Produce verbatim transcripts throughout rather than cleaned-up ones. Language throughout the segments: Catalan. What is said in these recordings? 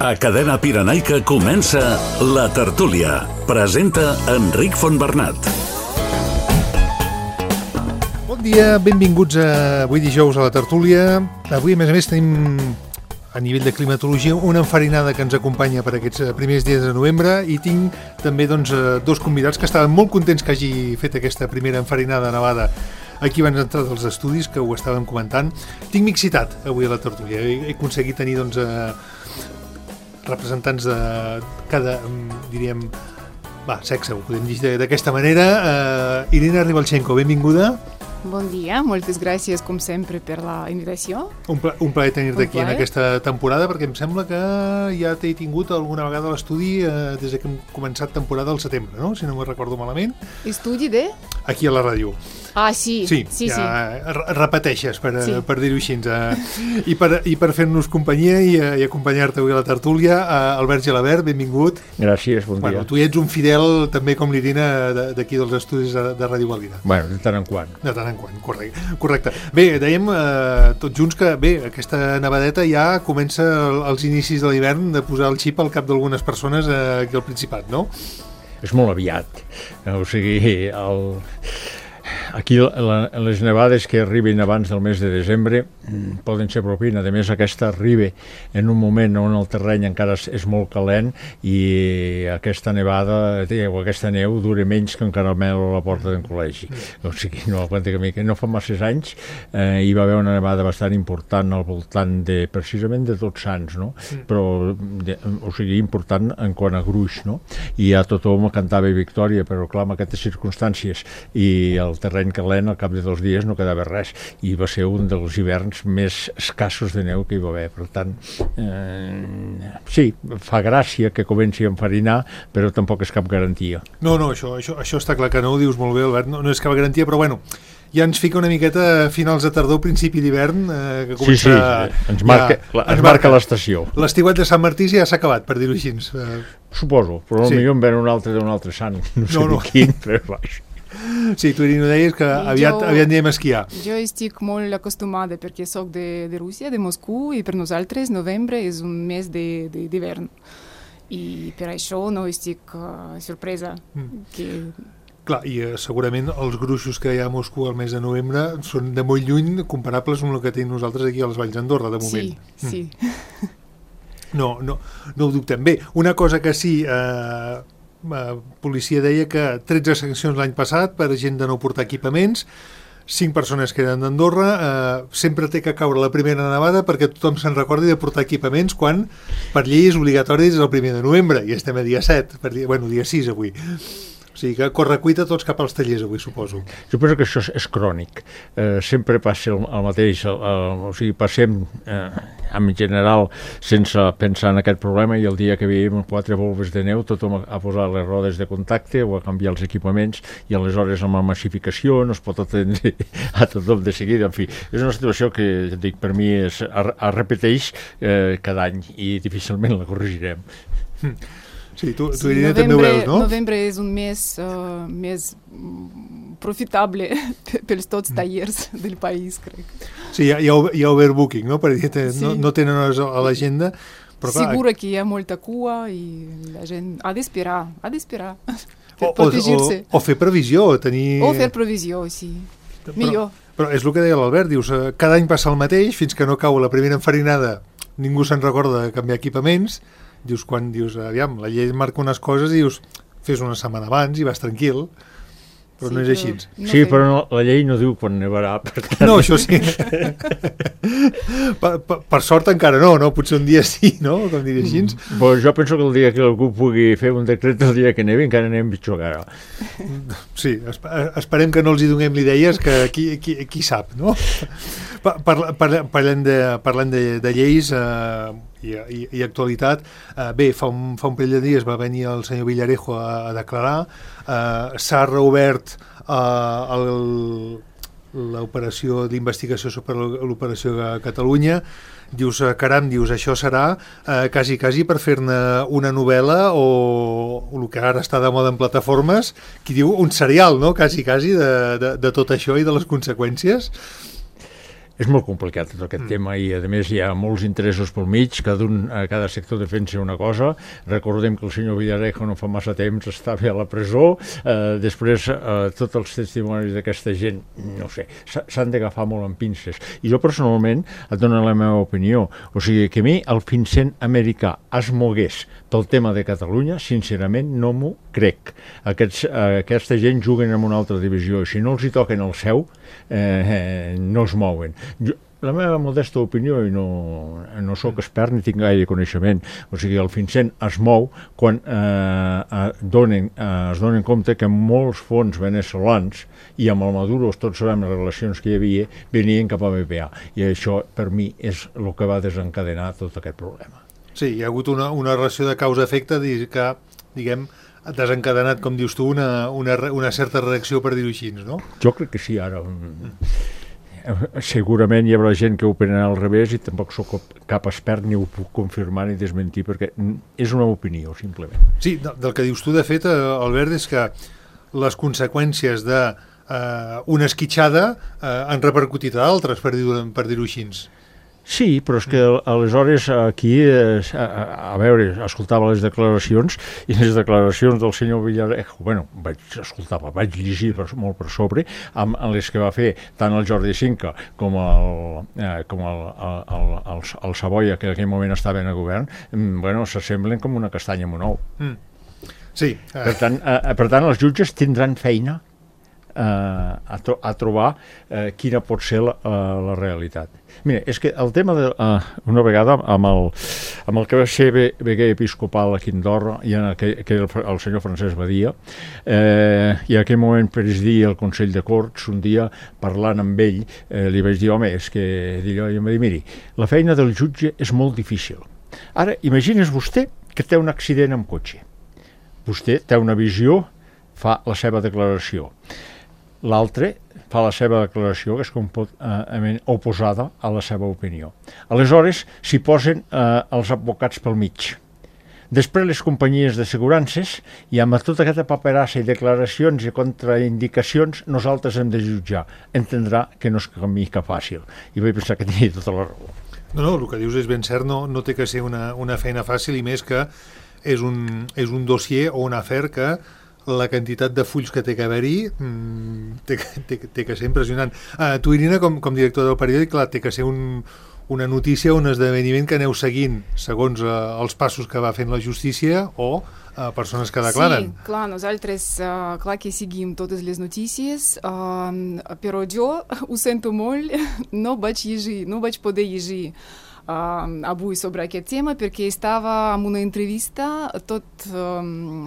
A Cadena Pirenaica comença La Tertúlia. Presenta Enric Fontbernat. Bon dia, benvinguts a avui dijous a La Tertúlia. Avui, a més a més, tenim a nivell de climatologia una enfarinada que ens acompanya per aquests primers dies de novembre i tinc també doncs, dos convidats que estaven molt contents que hagi fet aquesta primera enfarinada nevada aquí abans d'entrar dels estudis, que ho estàvem comentant. Tinc mixitat avui a La Tertúlia. He, he aconseguit tenir doncs, eh, representants de cada, diríem, va, sexe, ho podem dir d'aquesta manera. Uh, Irina Ribalchenko, benvinguda. Bon dia, moltes gràcies, com sempre, per la invitació. Un, pla, un plaer tenir-te aquí en aquesta temporada, perquè em sembla que ja t'he tingut alguna vegada a l'estudi eh, des que hem començat temporada al setembre, no? Si no me'n recordo malament. Estudi de? Aquí a la ràdio. Ah, sí, sí, sí, ja sí. repeteixes, per, sí. per dir-ho així. Eh? I per, i per fer-nos companyia i, i acompanyar-te avui a la tertúlia, eh, Albert Gelabert, benvingut. Gràcies, bon bueno, dia. Tu ets un fidel, també com l'Irina, d'aquí dels estudis de, de Ràdio Valira. Bueno, de tant en quant. De tant en quant, correcte. correcte. Bé, dèiem eh, tots junts que bé, aquesta nevadeta ja comença als inicis de l'hivern de posar el xip al cap d'algunes persones eh, aquí al Principat, no? És molt aviat. O sigui, el... aquí la, les nevades que arriben abans del mes de desembre mm, poden ser propina. A més, aquesta arriba en un moment on el terreny encara és molt calent i aquesta nevada o aquesta neu dura menys que un caramel a la porta d'un col·legi. O sigui, no aguanta que, que no fa masses anys eh, hi va haver una nevada bastant important al voltant de, precisament de Tots Sants, no? Però, de, o sigui, important en quant a gruix, no? I ja tothom cantava victòria, però clar, en aquestes circumstàncies i el terreny calent, al cap de dos dies no quedava res, i va ser un dels hiverns més escassos de neu que hi va haver. Per tant, eh, sí, fa gràcia que comenci a enfarinar, però tampoc és cap garantia. No, no, això, això, això està clar que no, ho dius molt bé, Albert, no, no és cap garantia, però bueno, ja ens fica una miqueta a finals de tardor, principi d'hivern, eh, que comença... Sí, sí, ens marca, ja, ens marca l'estació. L'estiuet de Sant Martí ja s'ha acabat, per dir-ho així. Eh... Suposo, però potser sí. En ven un altre d'un altre sant, no sé no, no. quin, però baix. Sí, tu Irina deies que aviat, jo, aviat anirem a esquiar. Jo estic molt acostumada perquè soc de, de Rússia, de Moscou, i per nosaltres novembre és un mes d'hivern. I per això no estic uh, sorpresa. Mm. Que... Clar, i uh, segurament els gruixos que hi ha a Moscou al mes de novembre són de molt lluny comparables amb el que tenim nosaltres aquí a les Valls d'Andorra, de moment. Sí, mm. sí. No, no, no ho dubtem. Bé, una cosa que sí... Uh, la policia deia que tretze sancions l'any passat per gent de no portar equipaments, cinc persones que eren d'Andorra, eh, sempre té que caure la primera nevada perquè tothom se'n recordi de portar equipaments quan per llei és obligatori des del primer de novembre i estem a dia set, per dia, bueno, dia sis avui. O sigui que corre cuita tots cap als tallers avui, suposo. Suposo que això és, és crònic. Eh, sempre passa el, el mateix. El, el, o sigui, passem eh, en general sense pensar en aquest problema i el dia que veiem quatre volves de neu tothom a posar les rodes de contacte o a canviar els equipaments i aleshores amb la massificació no es pot atendre a tothom de seguida. En fi, és una situació que, dic, per mi es, es, es repeteix eh, cada any i difícilment la corregirem. Mm. Sí, tu, tu sí, Irina, novembre, també ho veus, no? Novembre és un mes uh, més profitable pels tots tallers del país, crec. Sí, hi ha, hi ha, hi ha overbooking, no? Perquè sí. no, no tenen hores a l'agenda. Però clar, segura que hi ha molta cua i la gent ha d'esperar, ha d'esperar o, per protegir-se. O, o fer previsió, o tenir... O fer previsió, sí. Però, millor. Però és el que deia l'Albert, dius, cada any passa el mateix, fins que no cau la primera enfarinada, ningú se'n recorda de canviar equipaments. Dius, quan dius, aviam, la llei marca unes coses i dius, fes una setmana abans i vas tranquil, però sí, no és així. No sí, però no, la llei no diu quan nevarà, per tant... No, això sí. per, per, per sort encara no, no? Potser un dia sí, no? Com diria així. Mm. Pues jo penso que el dia que algú pugui fer un decret el dia que nevi encara anem pitjor que ara. Sí, esperem que no els hi donem idees, que qui, qui, qui sap, no? Parlant par, parlant de, parlant de, de lleis eh, i, i, i actualitat, eh, bé, fa un, fa un parell de dies va venir el senyor Villarejo a, a declarar, eh, s'ha reobert eh, l'operació d'investigació sobre l'operació a Catalunya. Dius, caram, dius, això serà eh, quasi, quasi per fer-ne una novel·la o, o el que ara està de moda en plataformes, qui diu un serial, no?, quasi, quasi, de, de, de tot això i de les conseqüències. és molt complicat tot aquest mm. tema i a més hi ha molts interessos pel mig, cada, un, cada sector defensa una cosa. Recordem que el senyor Villarejo no fa massa temps estava a la presó, eh, després eh, tots els testimonis d'aquesta gent, no sé, s'han d'agafar molt amb pinces. I jo personalment et dono la meva opinió, o sigui que a mi el Vincent americà es mogués pel tema de Catalunya, sincerament no m'ho crec. Aquests, eh, aquesta gent juguen en una altra divisió, si no els hi toquen el seu, eh, eh, no es mouen. Jo, la meva modesta opinió, i no, no sóc expert ni tinc gaire coneixement, o sigui, el Vincent es mou quan eh, donen, eh, es donen compte que molts fons veneçolans, i amb el Maduro tots sabem les relacions que hi havia, venien cap a B P A, i això per mi és el que va desencadenar tot aquest problema. Sí, hi ha hagut una, una relació de causa-efecte que, diguem, ha desencadenat, com dius tu, una, una, una certa reacció, per dir-ho així, no? Jo crec que sí, ara. Segurament hi haurà gent que ho operarà al revés i tampoc sóc cap expert ni ho puc confirmar ni desmentir perquè és una opinió, simplement. Sí, del que dius tu, de fet, Albert, és que les conseqüències d'una eh, esquitxada eh, han repercutit a altres, per dir-ho per dir-ho així. Sí, però és que aleshores aquí, eh, a, a veure, escoltava les declaracions i les declaracions del senyor Villarejo, bueno, vaig escoltar, vaig llegir per, molt per sobre, amb, amb les que va fer tant el Jordi Cinca com el, eh, com el, el, el, el, el Savoia, que en aquell moment estava en el govern, bueno, s'assemblen com una castanya amb un ou. Mm. Sí. Eh. Per tant, eh, per tant, els jutges tindran feina eh, a, tro a trobar eh, quina pot ser la, uh, la realitat. Mira, és que el tema de, uh, una vegada amb el, amb el que va ser veguer episcopal aquí a Andorra, i en aquell, que el, el senyor Francesc Badia, eh, i en aquell moment presidia el Consell de Corts, un dia parlant amb ell, eh, li vaig dir, home, és que d'allò, i em va dir, miri, la feina del jutge és molt difícil. Ara, imagines vostè que té un accident amb cotxe. Vostè té una visió, fa la seva declaració. L'altre fa la seva declaració, que és completament eh, oposada a la seva opinió. Aleshores, s'hi posen eh, els advocats pel mig. Després, les companyies d'assegurances, i amb tota aquesta paperassa i declaracions i contraindicacions, nosaltres hem de jutjar. Entendrà que no és camí cap fàcil. I vaig pensar que tenia tota la raó. No, no, el que dius és ben cert, no, no té que ser una, una feina fàcil, i més que és un, és un dossier o un afer que la quantitat de fulls que té que haver-hi mmm, té, té, té que ser impressionant. Uh, tu, Irina, com, com director del periòdic, clar, té que ser un, una notícia, un esdeveniment que aneu seguint segons uh, els passos que va fent la justícia o uh, persones que declaren. Sí, clar, nosaltres, uh, clar que seguim totes les notícies, uh, però jo ho sento molt, no vaig llegir, no vaig poder llegir Uh, avui sobre aquest tema perquè estava en una entrevista tot um,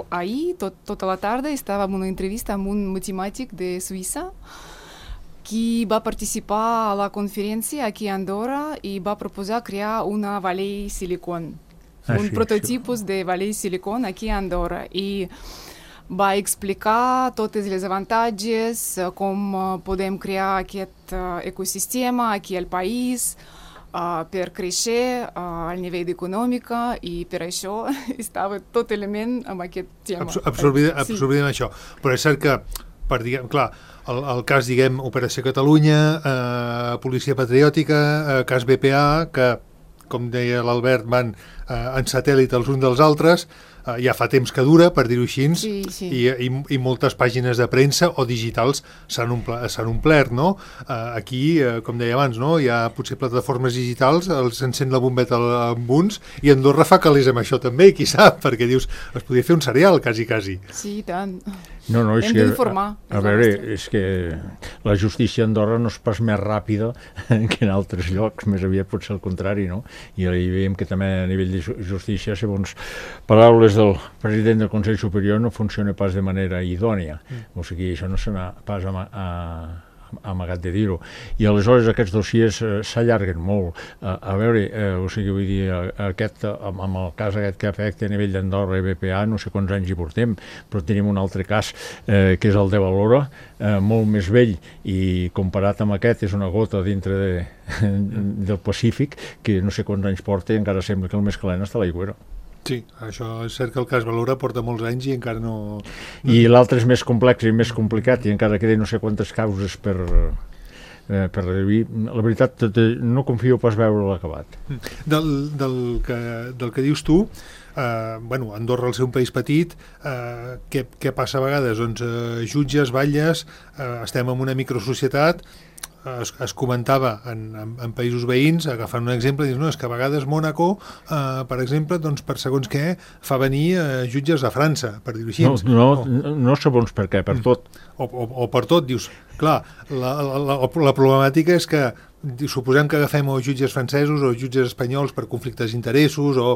ahir, tot, tota la tarda estava en una entrevista amb un matemàtic de Suïssa qui va participar a la conferència aquí a Andorra i va proposar crear una Valley Silicon, ah, un sí, prototipus sí. de Valley Silicon aquí a Andorra, i va explicar tots els avantatges, com podem crear aquest ecosistema aquí al país, Uh, per créixer uh, al nivell econòmic, i per això estava tot element amb aquest tema. Absor absorbida, absorbida sí. en això. Però és cert que, per, diguem, clar, el, el cas, diguem, Operació Catalunya, eh, Policia Patriòtica, eh, cas B P A, que, com deia l'Albert, van eh, en satèl·lit els uns dels altres, Uh, ja fa temps que dura, per dir-ho així, sí, sí. I, i, i moltes pàgines de premsa o digitals s'han omple, omplert, no? Uh, aquí, uh, com deia abans, no? Hi ha potser plataformes digitals, s'encén la bombeta amb uns, i Andorra fa calés amb això també, qui sap, perquè dius, es podria fer un serial, quasi, quasi. Sí, tant. No, no, és Hem que, d'informar. A, a veure, és que la justícia a Andorra no és pas més ràpida que en altres llocs, més aviat pot ser el contrari, no? I hi veiem que també a nivell de justícia, segons paraules del president del Consell Superior, no funciona pas de manera idònia. Mm. O sigui, això no se n'ha pas a, a, amagat de dir-ho. I aleshores aquests dossiers eh, s'allarguen molt. Uh, a veure, eh, o sigui, vull dir, aquest, amb, amb el cas aquest que afecta a nivell d'Andorra i B P A, no sé quants anys hi portem, però tenim un altre cas eh, que és el de Valora, eh, molt més vell, i comparat amb aquest és una gota dintre de, del Pacífic, que no sé quants anys porta i encara sembla que el més calent està a l'aigüera. Sí, això és cert que el cas Valora porta molts anys i encara no... I l'altre és més complex i més complicat i encara queden no sé quantes causes per, eh, per reduir. La veritat, no confio pas veure l'acabat. Del, del, que, del que dius tu, eh, bueno, Andorra, al ser un país petit, eh, què, què passa a vegades? Doncs eh, jutges, batlles, eh, estem en una microsocietat, es, es comentava en, en, en països veïns, agafant un exemple, dius, no, és que a vegades Mònaco, eh, per exemple, doncs per segons què, fa venir eh, jutges de França, per dir-ho així. No, no, no, no segons per què, per tot. O, o, o per tot, dius, clar, la, la, la, la problemàtica és que suposem que agafem o jutges francesos o jutges espanyols per conflictes d'interessos o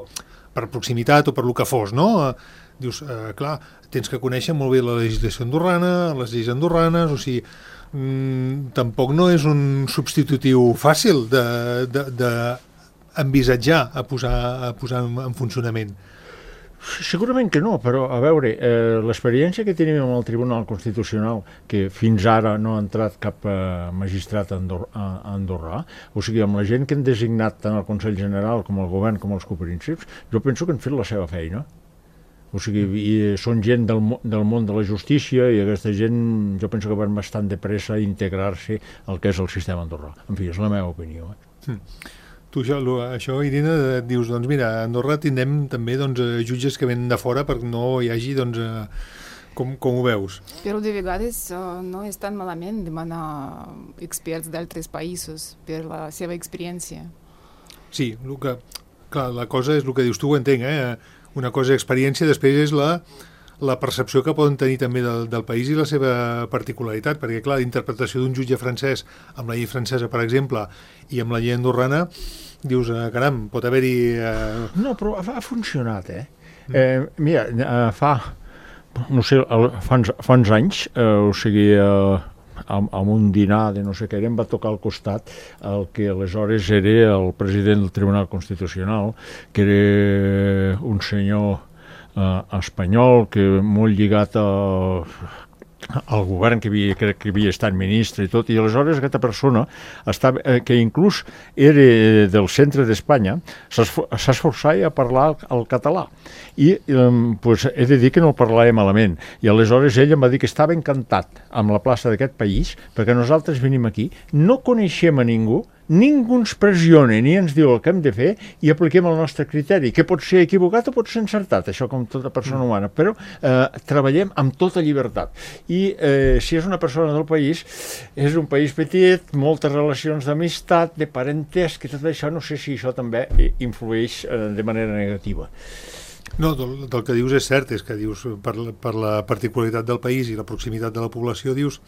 per proximitat o per lo que fos, no? Dius, eh, clar, tens que conèixer molt bé la legislació andorrana, les lleis andorranes, o sigui, mm, tampoc no és un substitutiu fàcil de, de, de envisatjar a posar, a posar en, en funcionament. Segurament que no, però a veure, eh, l'experiència que tenim amb el Tribunal Constitucional, que fins ara no ha entrat cap eh, magistrat andor a andorrà, o sigui, amb la gent que han designat tant el Consell General com el Govern com els copríncips, jo penso que han fet la seva feina. O sigui, i són gent del, del món de la justícia i aquesta gent, jo penso que van bastant de pressa a integrar-se al que és el sistema andorrà. En fi, és la meva opinió. Eh? Mm. Tu, això, això, Irina, et dius, doncs mira, a Andorra tindrem també doncs, jutges que venen de fora perquè no hi hagi, doncs, com, com ho veus? Però de vegades uh, no és tan malament demanar experts d'altres països per la seva experiència. Sí, el que, clar, la cosa és el que dius tu, ho entenc, eh? Una cosa és experiència, després és la, la percepció que poden tenir també del, del país i la seva particularitat, perquè, clar, l'interpretació d'un jutge francès amb la llei francesa, per exemple, i amb la llei andorrana, dius, eh, caram, pot haver-hi... Eh... No, però ha, ha funcionat, eh? Mm. eh mira, eh, fa, no sé, el, fa, uns, fa uns anys, eh, o sigui, eh, amb, amb un dinar de no sé què, em va tocar al costat el que aleshores era el president del Tribunal Constitucional, que era un senyor eh, espanyol, que molt lligat a... el govern que havia, crec que havia estat ministre i tot, i aleshores aquesta persona estava, eh, que inclús era del centre d'Espanya, s'esforçava a parlar el, el català i eh, pues, he de dir que no el parlava malament, i aleshores ell em va dir que estava encantat amb la plaça d'aquest país perquè nosaltres venim aquí, no coneixem a ningú, ningú ens pressiona ni ens diu el que hem de fer i apliquem el nostre criteri, que pot ser equivocat o pot ser encertat, això com tota persona humana, però eh, treballem amb tota llibertat. I eh, si és una persona del país, és un país petit, moltes relacions d'amistat, de parentesc i tot això, no sé si això també influeix eh, de manera negativa. No, del, del que dius és cert, és que dius, per, per la particularitat del país i la proximitat de la població, dius,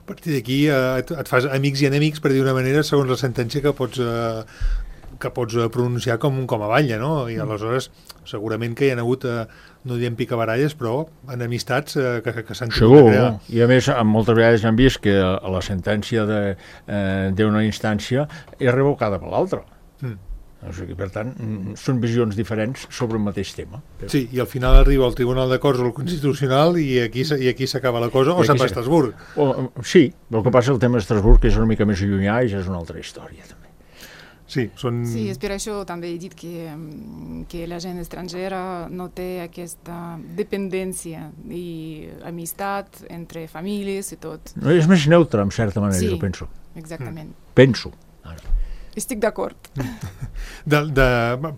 a partir d'aquí eh, et, et fas amics i enemics, per dir una manera, segons la sentència que pots, eh, que pots pronunciar com, com a batlle, no? I aleshores segurament que hi ha hagut, eh, no diem picabaralles, però enemistats eh, que, que s'han tingut de crear. I a més, moltes vegades hem vist que la sentència d'una eh, instància és revocada per l'altra. Mm. O sigui, per tant, són visions diferents sobre el mateix tema. Sí, i al final arriba al Tribunal de Corts o al Constitucional i aquí, i aquí s'acaba la cosa, o se'n va a Estrasburg. O, sí, el que passa el tema d'Estrasburg, que és una mica més llunyà i ja és una altra història, també. Sí, són... sí, és per això també he dit que, que la gent estrangera no té aquesta dependència i amistat entre famílies i tot. No, és més neutre, en certa manera, sí, jo penso. Exactament. Mm. Penso. Ara. Estic d'acord. De, de,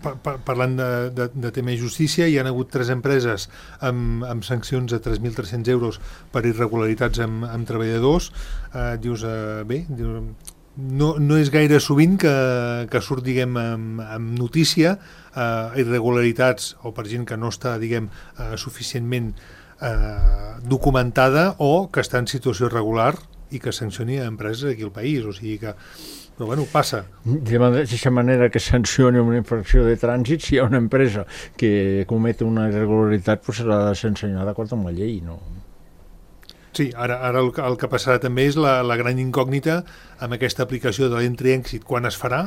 par, parlant de, de, de tema de justícia, hi ha hagut tres empreses amb, amb sancions de tres mil tres-cents euros per irregularitats amb, amb treballadors. Eh, dius, eh, bé, dius, no, no és gaire sovint que, que surt, diguem, amb, amb notícia eh, irregularitats o per gent que no està, diguem, eh, suficientment eh, documentada o que està en situació irregular i que sancioni a empreses aquí al país. O sigui que però bueno, passa. De mateixa manera que sancioni una infracció de trànsit, si hi ha una empresa que comet una irregularitat, pues serà de sancionar d'acord amb la llei, no? Sí, ara, ara el, el que passarà també és la, la gran incògnita amb aquesta aplicació de l'Entry-Exit, quan es farà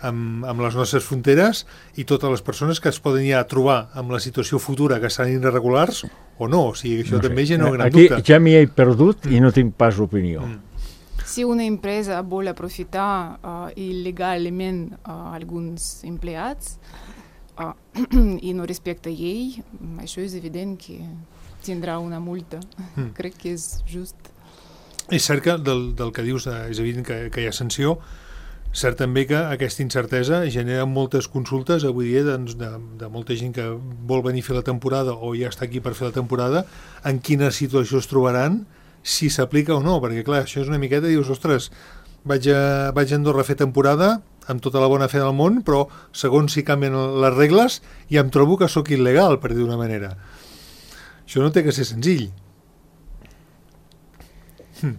amb, amb les nostres fronteres i totes les persones que es poden ja trobar amb la situació futura que seran irregulars o no, o sigui, això no també sé. Genera gran Aquí dubte. Ja m'hi he perdut mm. i no tinc pas opinió. Mm. Si una empresa vol aprofitar uh, il·legalment uh, alguns empleats uh, i no respecta llei, això és evident que tindrà una multa. Mm. Crec que és just. És cert que del, del que dius eh, és evident que, que hi ha sanció. Cert també que aquesta incertesa genera moltes consultes avui dia doncs, de, de molta gent que vol venir a fer la temporada o ja està aquí per fer la temporada, en quina situació es trobaran, si s'aplica o no, perquè clar, això és una miqueta, dius, ostres, vaig a, vaig a Andorra a fer temporada amb tota la bona fe del món, però segons si canvien les regles ja em trobo que sóc il·legal, per dir d'una manera. Això no té que ser senzill. Hm.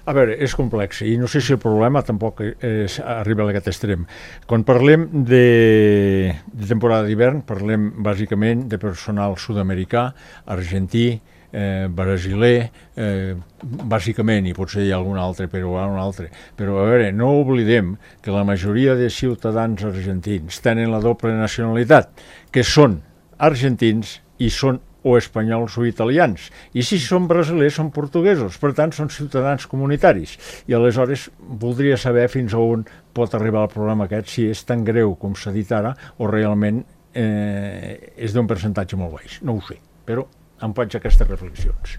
A veure, és complex i no sé si el problema tampoc és, arriba a aquest extrem. Quan parlem de, de temporada d'hivern, parlem bàsicament de personal sud-americà, argentí, eh, brasiler, eh, bàsicament, i potser hi ha algun altre, però un altre. Però a veure, no oblidem que la majoria de ciutadans argentins tenen la doble nacionalitat, que són argentins i són o espanyols o italians, i si són brasilers són portuguesos, per tant són ciutadans comunitaris, i aleshores voldria saber fins a on pot arribar el problema aquest, si és tan greu com s'ha dit ara o realment eh, és d'un percentatge molt baix, no ho sé, però em faig aquestes reflexions.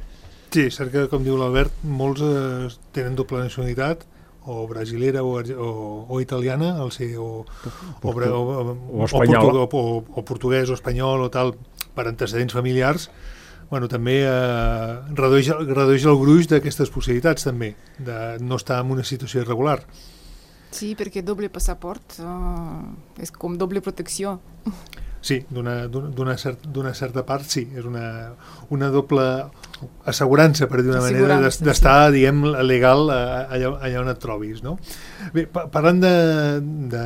Sí, és cert que, com diu l'Albert, molts eh, tenen doble nacionalitat, o brasilera o, o, o italiana, el ser, o, o, o, o, o espanyola, o, o, o portuguès o espanyol o tal, per antecedents familiars, bueno, també eh, redueix, redueix el gruix d'aquestes possibilitats també, de no estar en una situació irregular. Sí, perquè doble passaport uh, és com doble protecció. Sí, d'una, d'una, cert, d'una certa part sí, és una, una doble assegurança, per dir d'una manera, d'estar, sí, diguem, legal allà, allà on et trobis, no? Bé, parlant de, de,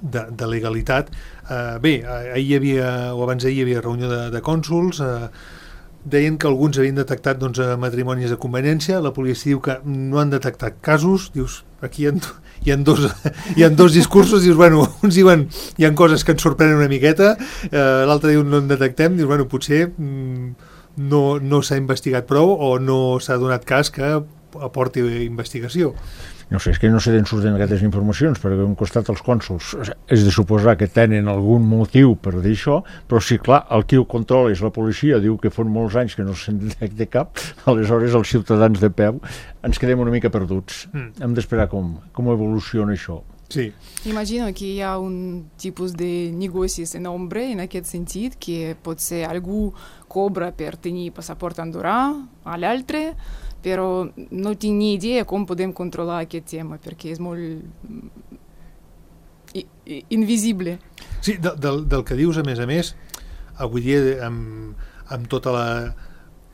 de, de legalitat, eh, bé, ahir hi havia, o abans d'ahir hi havia reunió de, de cònsols, eh, deien que alguns havien detectat doncs, matrimonis de conveniència, la policia diu que no han detectat casos, dius, aquí hi ha, hi ha, dos, hi ha dos discursos, dius, bueno, uns diuen hi ha coses que ens sorprenen una miqueta, eh, l'altre diu no en detectem, dius, bueno, potser mm, no, no s'ha investigat prou o no s'ha donat cas que aporti investigació. No sé, és que no sé d'on surten aquestes informacions, perquè un costat els cònsols és de suposar que tenen algun motiu per dir això, però si clar, el qui ho controla és la policia, diu que fan molts anys que no se'n detecta cap, aleshores els ciutadans de peu ens quedem una mica perduts. Mm. Hem d'esperar com, com evoluciona això. Sí. Imagino que hi ha un tipus de negocis en ombra en aquest sentit, que potser algú cobra per tenir passaport andorrà a l'altre, però no tinc ni idea com podem controlar aquest tema, perquè és molt invisible. Sí, del, del, del que dius, a més a més, avui dia, amb, amb tota la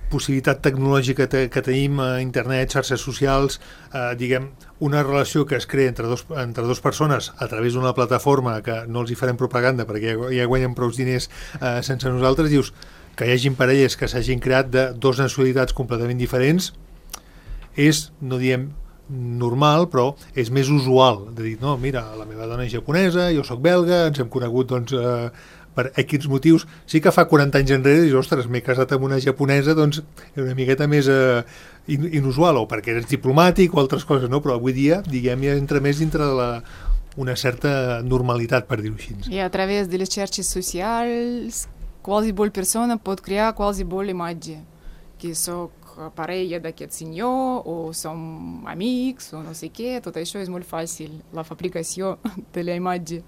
possibilitat tecnològica te, que tenim a internet, xarxes socials, eh, diguem, una relació que es crea entre dos, entre dos persones a través d'una plataforma que no els hi farem propaganda perquè ja, ja guanyen prou diners eh, sense nosaltres, dius que hi hagin parelles que s'hagin creat de dos nacionalitats completament diferents, és, no diem normal, però és més usual de dir, no, mira, la meva dona és japonesa, jo sóc belga, ens hem conegut doncs, eh, per X motius. Sí que fa quaranta anys enrere dius, ostres, m'he casat amb una japonesa, doncs és una miqueta més eh, inusual, o perquè eres diplomàtic o altres coses, no? Però avui dia, diguem, ja entra més dintre de la, una certa normalitat, per dir-ho així. I a través de les xarxes socials, qualsevol persona pot crear qualsevol imatge, que soc parella d'aquest senyor, o som amics, o no sé què, tot això és molt fàcil, la fabricació de la imatge.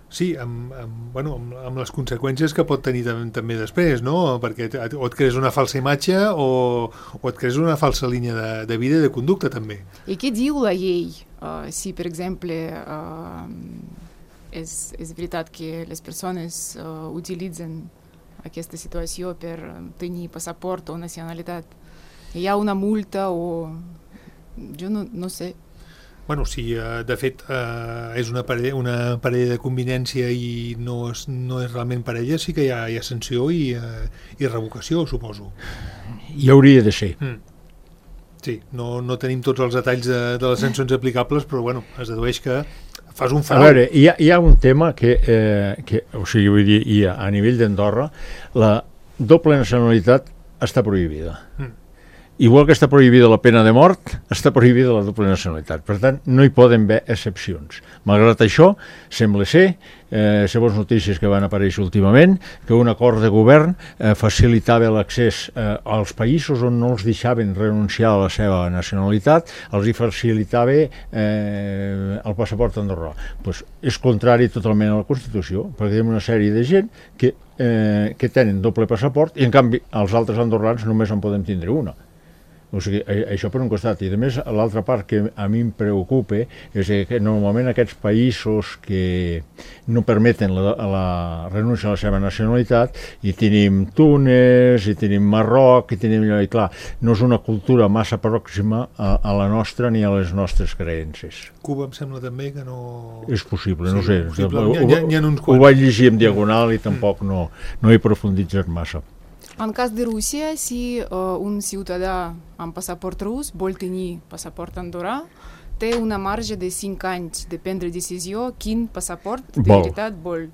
Sí, amb, amb, bueno, amb, amb les conseqüències que pot tenir també, també després, no? Perquè o et crees una falsa imatge o, o et crees una falsa línia de, de vida i de conducta, també. I què diu la llei? Uh, si, per exemple, uh, és, és veritat que les persones uh, utilitzen aquesta situació per tenir passaport o nacionalitat. Hi ha una multa o... jo no, no sé. Bueno, si de fet eh, és una parella, una parella de convivència i no és, no és realment parella, sí que hi ha, hi ha sanció i, eh, i revocació, suposo. Hi hauria de ser. Mm. Sí, no, no tenim tots els detalls de, de les sancions aplicables, però bueno, es dedueix que fas un frau. A veure, hi ha, hi ha un tema que, eh, que o sigui, vull dir, hi ha, a nivell d'Andorra, la doble nacionalitat està prohibida. Mm. igual que està prohibida la pena de mort, està prohibida la doble nacionalitat. Per tant, no hi poden haver excepcions. Malgrat això, sembla ser, eh, segons notícies que van aparèixer últimament, que un acord de govern eh, facilitava l'accés eh, als països on no els deixaven renunciar a la seva nacionalitat, els hi facilitava eh, el passaport andorrà. Pues és contrari totalment a la Constitució, perquè hi ha una sèrie de gent que, eh, que tenen doble passaport i, en canvi, els altres andorrans només en podem tindre una. O sigui, això per un costat. I, a més, l'altra part que a mi em preocupa és que normalment aquests països que no permeten la, la renúncia a la seva nacionalitat, i tenim Túnez, i tenim Marroc, i tenim allò, i clar, no és una cultura massa pròxima a, a la nostra ni a les nostres creences. Cuba em sembla també que no... És possible, sí, no sé. Possible. Ho, hi ha, hi ha uns ho vaig llegir en diagonal i tampoc no, no he profunditzat massa. În caz de Rusia, si uh, un ciutadà amb passaport rus vol tenir passaport andorrà, té una marge de cinc anys de prendre decisió quin passaport de veritat vol,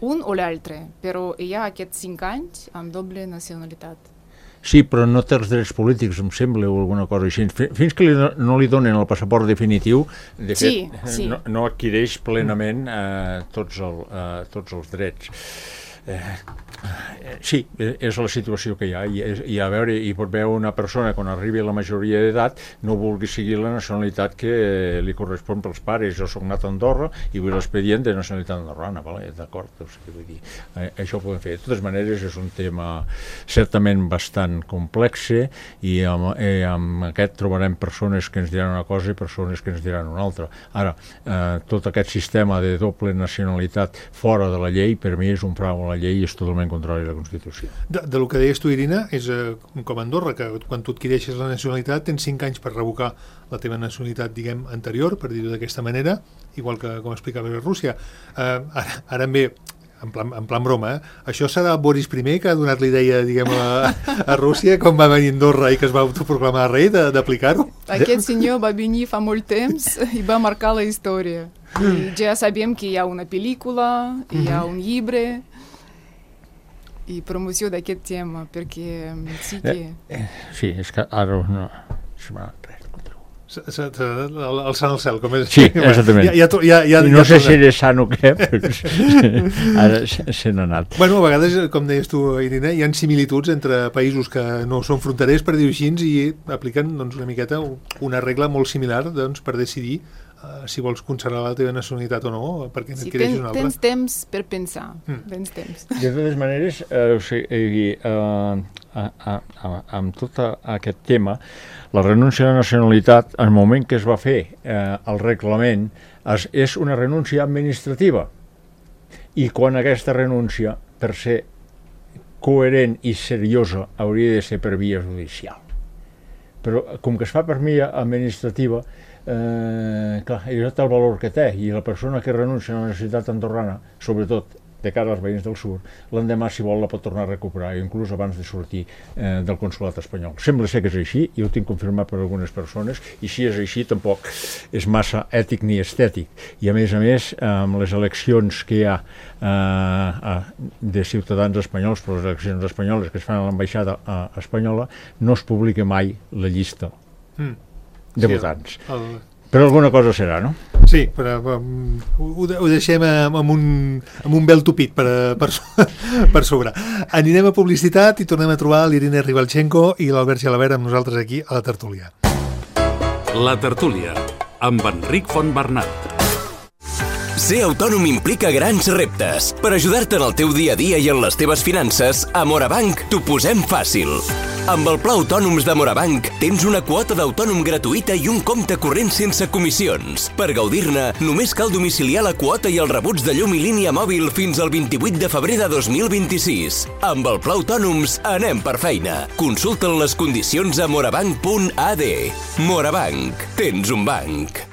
un o l'altre, però hi ha aquests cinc anys amb doble nacionalitat. Sí, però no té els drets polítics, em sembla, o alguna cosa així. Fins que li, no li donen el passaport definitiu, de fet, sí, sí. No, no adquireix plenament eh, tots, el, eh, tots els drets. Eh, sí, és la situació que hi ha, i, i a veure, hi pot veure una persona quan arribi a la majoria d'edat no vulgui seguir la nacionalitat que li correspon pels pares. Jo soc nat a Andorra i vull l'expedient de nacionalitat andorrana, vale? D'acord, o sigui, vull dir, eh, això ho podem fer. De totes maneres, és un tema certament bastant complex, i amb, eh, amb aquest trobarem persones que ens diran una cosa i persones que ens diran una altra. Ara, eh, tot aquest sistema de doble nacionalitat fora de la llei, per mi és un frau a la llei i és totalment contrari a la Constitució. De, de lo que deies tu, Irina, és eh, com a Andorra, que quan tu adquireixes la nacionalitat tens cinc anys per revocar la teva nacionalitat, diguem, anterior, per dir-ho d'aquesta manera, igual que com explicava a Rússia. Eh, ara, ara em ve, en plan, en plan broma, eh? Això serà Boris primer que ha donat l'idea, diguem, a, a Rússia, quan va venir a Andorra i que es va autoproclamar rei, d'aplicar-ho? Aquest senyor va venir fa molt temps i va marcar la història. I ja sabem que hi ha una pel·lícula, hi ha un llibre i promoció d'aquest tema, perquè sí que... Eh, sí, és que ara no... Alçant el cel, com és... Sí, exactament. Ja, ja, ja, ja, no ja sé si eres sant o què, però ara se n'ha anat. Bueno, a vegades, com deies tu, Irina, hi ha similituds entre països que no són fronterers, per dir-ho així, i apliquen doncs, una miqueta una regla molt similar doncs, per decidir Uh, si vols conservar la teva nacionalitat o no, perquè n'adquireixis sí, una altra. Tens temps per pensar. Mm. Tens temps. De totes maneres, eh, o sigui, eh, a, a, a, amb tot aquest tema, la renúncia a la nacionalitat, en el moment que es va fer eh, el reglament, es, és una renúncia administrativa. I quan aquesta renúncia, per ser coherent i seriosa, hauria de ser per via judicial. Però com que es fa per via administrativa, Eh, clar, això té el valor que té, i la persona que renuncia a la necessitat andorrana, sobretot de cara als veïns del sud, l'endemà, si vol, la pot tornar a recuperar, inclús abans de sortir eh, del consolat espanyol. Sembla ser que és així, i ho tinc confirmat per algunes persones, i si és així tampoc és massa ètic ni estètic. I a més a més, amb les eleccions que hi ha eh, de ciutadans espanyols, però les eleccions espanyoles que es fan a l'ambaixada eh, espanyola, no es publica mai la llista mm. de sí, votants. El... Però alguna cosa serà, no? Sí, però um, ho, ho deixem amb un, amb un vel tupit per, per, per sobre. Anirem a publicitat i tornem a trobar l'Irina Ribalchenko i l'Albert Gelabert amb nosaltres aquí a la tertúlia. La tertúlia, amb Enric Fontbernat. Ser autònom implica grans reptes. Per ajudar-te en el teu dia a dia i en les teves finances, a Morabanc t'ho posem fàcil. Amb el Pla Autònoms de Morabanc tens una quota d'autònom gratuïta i un compte corrent sense comissions. Per gaudir-ne, només cal domiciliar la quota i els rebuts de llum i línia mòbil fins al vint-i-vuit de febrer de dos mil vint-i-sis. Amb el Pla Autònoms anem per feina. Consulta'n les condicions a morabanc punt a d. Morabanc. Tens un banc.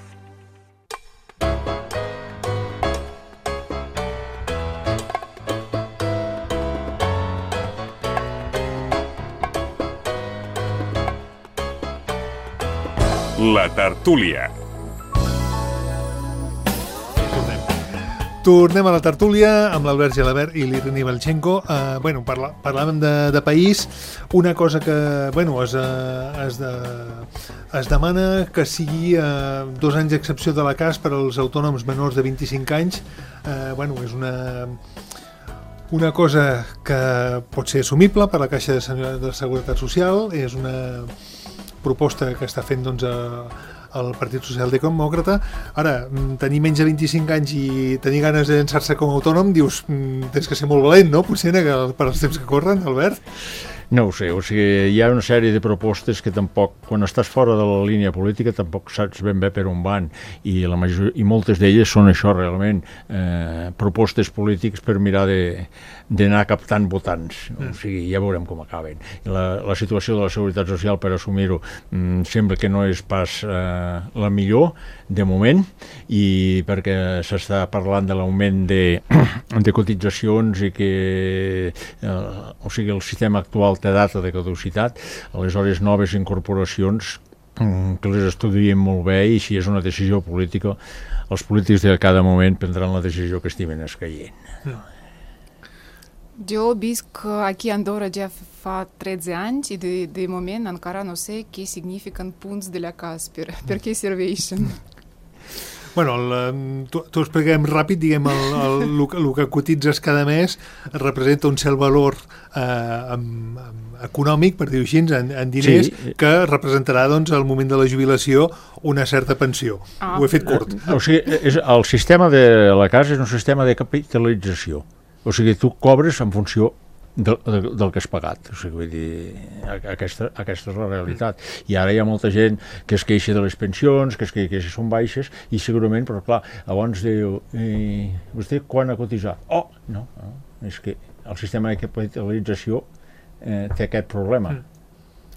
La tertúlia. Tornem a la tertúlia amb l'Albert Gelabert i l'Irini Balchenko. Uh, bueno, parla, parlàvem de, de país. Una cosa que bueno, es, uh, es, de, es demana que sigui uh, dos anys d'excepció de la C A S per als autònoms menors de vint-i-cinc anys. Uh, bueno, és una, una cosa que pot ser assumible per la Caixa de, de Seguretat Social. És una proposta que està fent doncs, a el Partit Socialdemòcrata. Ara, tenir menys de vint-i-cinc anys i tenir ganes de llançar-se com a autònom, dius, tens que ser molt valent, no? Potser per als temps que corren, Albert? No ho sé, o sigui, hi ha una sèrie de propostes que tampoc, quan estàs fora de la línia política, tampoc saps ben bé per on van, i, la major, i moltes d'elles són això realment, eh, propostes polítiques per mirar de d'anar captant votants, o sigui, ja veurem com acaben. La, la situació de la Seguretat Social, per assumir-ho, mm, sembla que no és pas eh, la millor, de moment, i perquè s'està parlant de l'augment de, de cotitzacions i que eh, o sigui, el sistema actual té data de caducitat, aleshores noves incorporacions que les estudiem molt bé, i si és una decisió política, els polítics de cada moment prendran la decisió que estimen escaient. Mm. Jo visc aquí a Andorra ja fa tretze anys i de, de moment encara no sé què signifiquen punts de la C A S, per, per què serveixen. Bueno, t'ho expliquem ràpid, diguem, el, el, el, el que cotitzes cada mes representa un cert valor eh, amb, amb econòmic, per dir-ho així, en, en diners, sí, que representarà doncs, al moment de la jubilació una certa pensió. Ah. Ho he fet curt. O sigui, és, el sistema de la C A S és un sistema de capitalització. O sigui, tu cobres en funció de, de, del que has pagat. O sigui, vull dir, aquesta, aquesta és la realitat. I ara hi ha molta gent que es queixa de les pensions, que es queixa que són baixes, i segurament, però clar, abans diu, eh, vostè quan ha cotitzat? Oh, no, no, és que el sistema de capitalització eh, té aquest problema.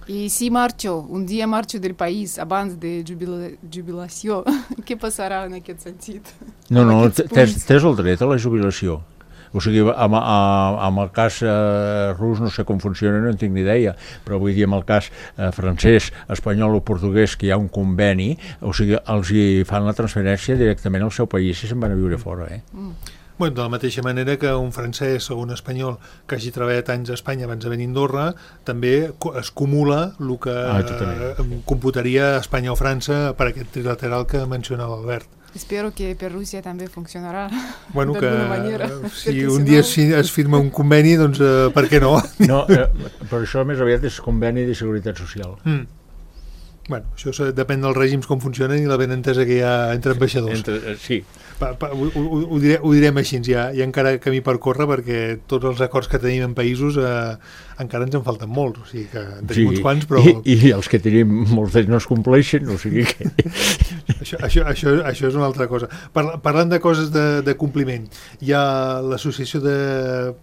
I si marxo, un dia marxo del país abans de jubila jubilació, què passarà en aquest sentit? No, no, tens, tens el dret a la jubilació. O sigui, amb, amb el cas eh, rus no sé com funciona, no en tinc ni idea, però vull dir, amb el cas eh, francès, espanyol o portuguès, que hi ha un conveni, o sigui, els hi fan la transferència directament al seu país si se'n van a viure fora, eh? Mm. Bueno, de la mateixa manera que un francès o un espanyol que hagi treballat anys a Espanya abans de venir a Andorra, també es cumula el que ah, eh, computaria Espanya o França per aquest trilateral que mencionava l'Albert. Espero que per Rússia també funcionarà bueno, d'alguna manera. Si un dia si no... es firma un conveni, doncs uh, per què no? No, eh, per això més aviat és conveni de seguretat social. Mm. Bueno, això depèn dels règims com funcionen i la benentesa que hi ha entre ambaixadors. Entre, eh, sí. Pa, pa, ho, ho, ho, diré, ho direm així, hi ha, hi ha encara camí per córrer perquè tots els acords que tenim en països eh, encara ens en falten molts, o sigui que en tenim sí, uns quants, però... I, i els que tenim molts d'ells no es compleixen, o sigui que... això, això, això, això és una altra cosa. Parla, parlant de coses de, de compliment, hi ha l'Associació de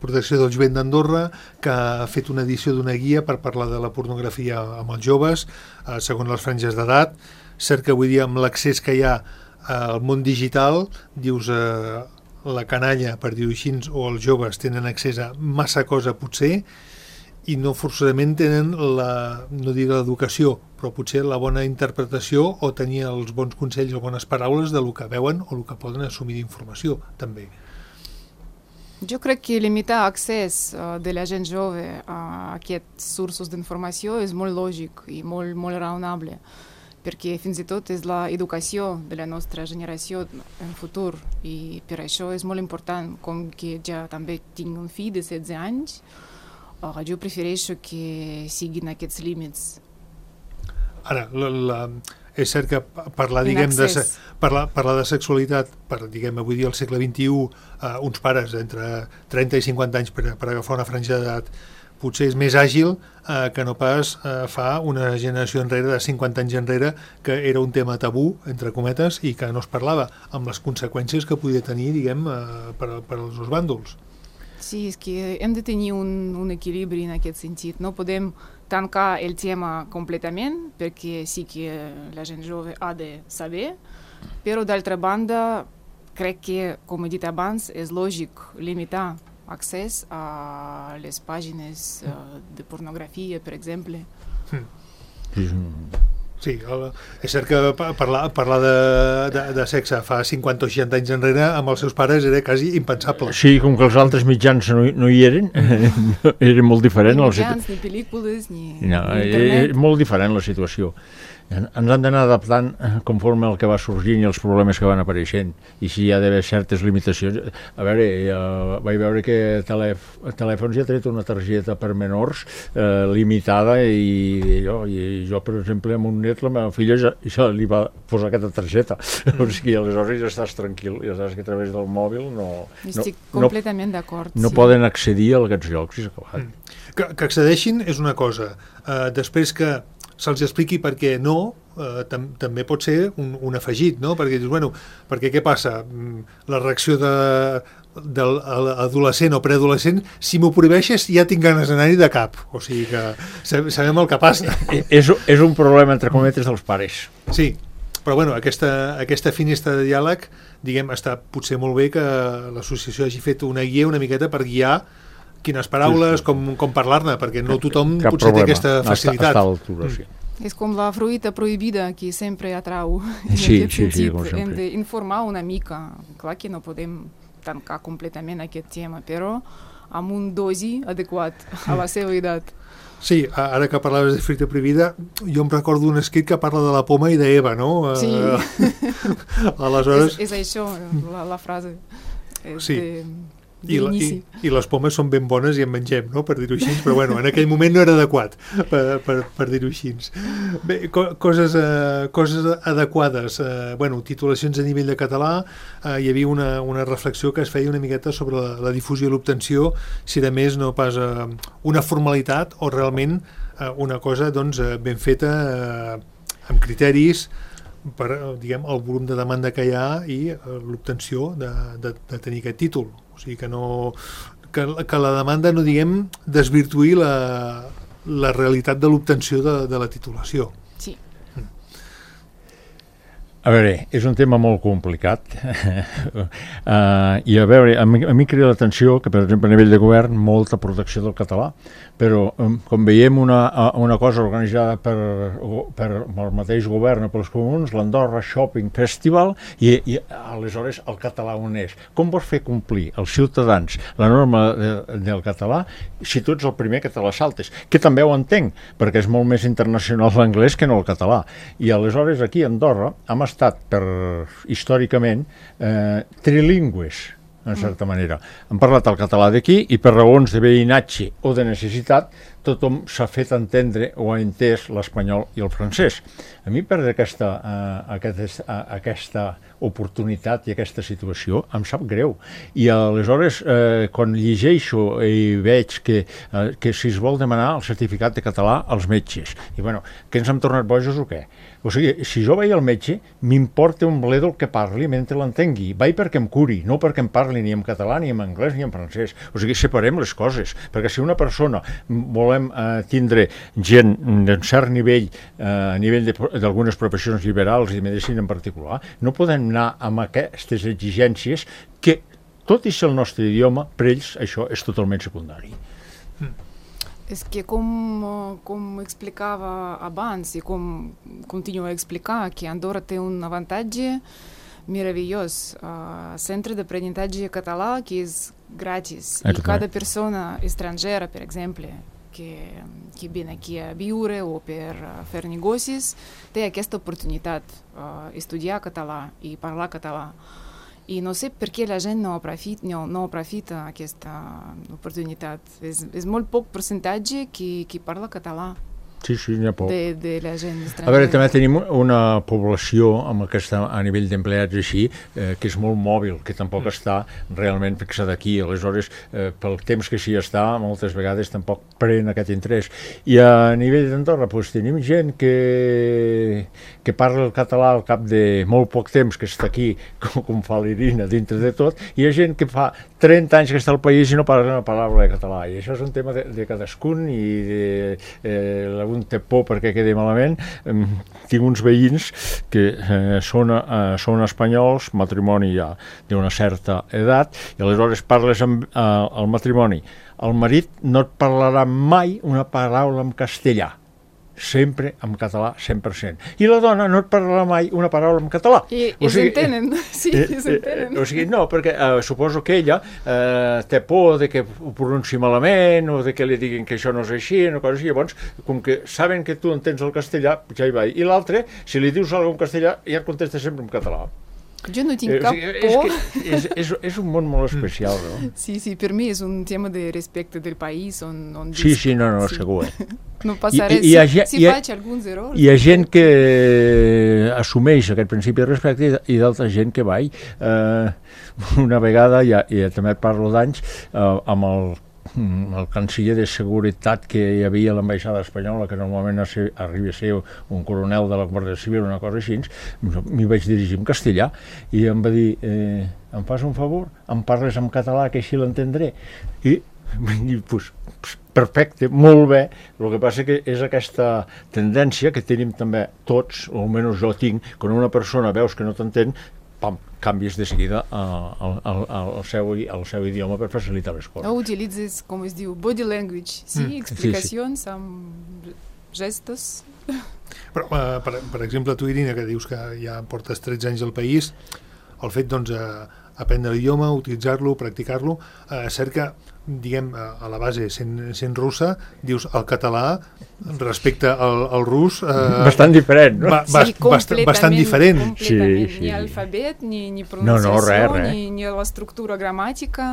Protecció del Jovent d'Andorra que ha fet una edició d'una guia per parlar de la pornografia amb els joves, eh, segons les franges d'edat. Cert que avui dia amb l'accés que hi ha al món digital, dius eh, la canalla, per dir-ho així, o els joves tenen accés a massa cosa potser i no forçosament tenen la, no diré l'educació, però potser la bona interpretació o tenir els bons consells o bones paraules de lo que veuen o el que poden assumir d'informació, també. Jo crec que limitar l'accés uh, de la gent jove a aquests sources d'informació és molt lògic i molt, molt raonable, perquè fins i tot és l'educació de la nostra generació en futur i per això és molt important, com que ja també tinc un fill de setze anys, uh, jo prefereixo que siguin aquests límits. Ara, la, la, és cert que parlar, diguem, de, parlar, parlar de sexualitat, per, diguem, avui dia al segle vint-i-u, uh, uns pares entre trenta i cinquanta anys per, per agafar una franja d'edat potser és més àgil eh, que no pas eh, fa una generació enrere, de cinquanta anys enrere, que era un tema tabú, entre cometes, i que no es parlava, amb les conseqüències que podia tenir, diguem, eh, per, per als dos bàndols. Sí, és que hem de tenir un, un equilibri en aquest sentit. No podem tancar el tema completament, perquè sí que la gent jove ha de saber, però d'altra banda, crec que, com he dit abans, és lògic limitar accés a les pàgines uh, de pornografia, per exemple. Mm. Sí, el, és cert que parlar, parlar de, de, de sexe fa cinquanta o seixanta anys enrere amb els seus pares era quasi impensable. Sí, com que els altres mitjans no, no hi eren, era molt diferent. Ni mitjans, ni pel·lícules, ni, no, ni internet. És molt diferent la situació. Ens han d'anar adaptant conforme el que va sorgint i els problemes que van apareixent, i si hi ha d'haver certes limitacions. A veure, eh, vaig veure que telèf telèfons ja ha tret una targeta per menors eh, limitada, i jo, i jo, per exemple, amb un net, la meva filla ja, ja li va posar aquesta targeta. Mm. O sigui, aleshores ja estàs tranquil, ja saps que a través del mòbil no... Estic no, completament d'acord. No sí. poden accedir a aquests llocs, i s'ha acabat. Mm. Que, que accedeixin és una cosa. Uh, després que se'ls expliqui per què no, eh, tam també pot ser un, un afegit, no? Perquè dius, bueno, perquè què passa? La reacció de, de l'adolescent o preadolescent, si m'ho prohibeixes ja tinc ganes d'anar-hi de cap. O sigui que sabem el que passa. És, és un problema, entre cometes, dels pares. Sí, però bueno, aquesta, aquesta finestra de diàleg, diguem, està potser molt bé que l'associació hagi fet una guia una miqueta per guiar quines paraules, com, com parlar-ne, perquè no tothom Cap potser problema. té aquesta facilitat. Està, està a l'altura, sí. És com la fruita prohibida que sempre atrau. Sí, en sí, sí, com Hem sempre. d'informar una mica. Clar que no podem tancar completament aquest tema, però amb un dosi adequat a la seva edat. Sí, ara que parlaves de fruita prohibida, jo em recordo un escrit que parla de la poma i d'Eva, no? Sí. Aleshores... És, és això, la, la frase. És Sí. de... I, la, i, i les pomes són ben bones i en mengem, no?, per dir-ho així, però bueno, en aquell moment no era adequat per, per, per dir-ho així. Bé, co coses, eh, coses adequades, eh, bueno, titulacions a nivell de català, eh, hi havia una, una reflexió que es feia una miqueta sobre la, la difusió i l'obtenció, si de més no pas eh, una formalitat o realment eh, una cosa doncs, eh, ben feta eh, amb criteris per, diguem, el volum de demanda que hi ha i eh, l'obtenció de, de, de tenir aquest títol. O sigui que no que, que la demanda no, diguem, desvirtuï la, la realitat de l'obtenció de, de la titulació. Sí. A veure, és un tema molt complicat uh, i a veure, a mi, a mi crida l'atenció que, per exemple, a nivell de govern, molta protecció del català, però um, com veiem una, una cosa organitzada per, per el mateix govern o pels comuns, l'Andorra Shopping Festival, i, i aleshores el català on és. Com vols fer complir als ciutadans la norma de, del català si tu ets el primer que te la saltes? Que també ho entenc, perquè és molt més internacional l'anglès que no el català. I aleshores aquí a Andorra hem estat per, històricament eh, trilingües, en certa manera. Han parlat el català d'aquí i per raons de veïnatge o de necessitat tothom s'ha fet entendre o ha entès l'espanyol i el francès. A mi perdre aquesta, uh, aquest, uh, aquesta oportunitat i aquesta situació em sap greu. I aleshores, eh, quan llegeixo i veig que, eh, que si es vol demanar el certificat de català als metges, i bueno, que ens hem tornat bojos o què? O sigui, si jo vaig al metge, m'importa un bledo el que parli mentre l'entengui. Vaig perquè em curi, no perquè em parli ni en català, ni en anglès, ni en francès. O sigui, separem les coses, perquè si una persona volem eh, tindre gent d'un cert nivell, eh, a nivell d'algunes professions liberals i de medicina en particular, no podem anar amb aquestes exigències que, tot i ser el nostre idioma, per ells això és totalment secundari. Mm. És que com, com explicava abans i com continuo a explicar, que Andorra té un avantatge meravellós. Uh, centre d'aprenentatge català que és gratis. I cada persona estrangera, per exemple, que, que viene aquí a viure o per fer negocis, té aquesta oportunitat uh, estudiar català i parlar català. I no sé per què la gent no aprofita, no, no aprofita aquesta oportunitat. És, és molt poc percentatge que, que parla català. Sí, sí, n'hi ha poc. De, de la gent estrangera. A veure, també tenim una població amb aquesta, a nivell d'empleats així, eh, que és molt mòbil, que tampoc mm. està realment fixada aquí. Aleshores, eh, pel temps que s'hi està, moltes vegades tampoc pren aquest interès. I a nivell d'Andorra, doncs, tenim gent que, que parla el català al cap de molt poc temps que està aquí, com, com fa l'Irina, dintre de tot, i hi ha gent que fa trenta anys que està al país i no parla una paraula de català. I això és un tema de, de cadascun i de, eh, un té por perquè quedi malament. Tinc uns veïns que eh, són, eh, són espanyols, matrimoni ja d'una certa edat, i aleshores parles amb eh, el matrimoni. El marit no et parlarà mai una paraula en castellà. sempre en català, cent per cent. I la dona no et parlarà mai una paraula en català. I ells entenen, sí, ells entenen. O sigui, no, perquè eh, suposo que ella eh, té por de que ho pronunciï malament o de que li diguin que això no és així, una cosa així. Llavors, com que saben que tu entens el castellà, ja hi va. I l'altre, si li dius alguna cosa en castellà, ja et contesta sempre en català. Jo no tinc Eh, o cap sigui, por. és, que és, és, és un món molt especial, no? Sí, sí, per mi és un tema de respecte del país on, on Sí, visc. sí, no, no, Sí. segur. Eh? No passa res. I- i hi ha Si, gent- si hi ha- faig alguns errors... Hi ha gent que assumeix aquest principi de respecte i- i d'altra gent que va. Eh, una vegada, ja, ja també parlo d'anys, eh, amb el el canciller de seguretat que hi havia a l'ambaixada espanyola, que normalment arriba a ser un coronel de la Guàrdia Civil, una cosa així, m'hi vaig dirigir en castellà i em va dir, eh, em fas un favor, em parles en català que així l'entendré. I, i pues, perfecte, molt bé. El que passa que és aquesta tendència que tenim també tots, o almenys jo tinc, quan una persona veus que no t'entén, pam, canvies de seguida al, al, al, seu, al seu idioma per facilitar les coses. O utilitzes, com es diu, body language, sí? Mm. Explicacions amb gestos. Però, eh, per, per exemple, tu, Irina, que dius que ja portes tretze anys al país, el fet, doncs, eh, aprendre l'idioma, utilitzar-lo, practicar-lo, eh, cert que, diguem, a a la base, sent, sent russa, dius el català respecte al, al rus... Eh, bastant diferent, no? ba, ba, Sí, bast, bastant diferent. completament. Sí, sí. Ni alfabet, ni, ni No, pronunciació, no, res, res. Ni, ni l'estructura gramàtica.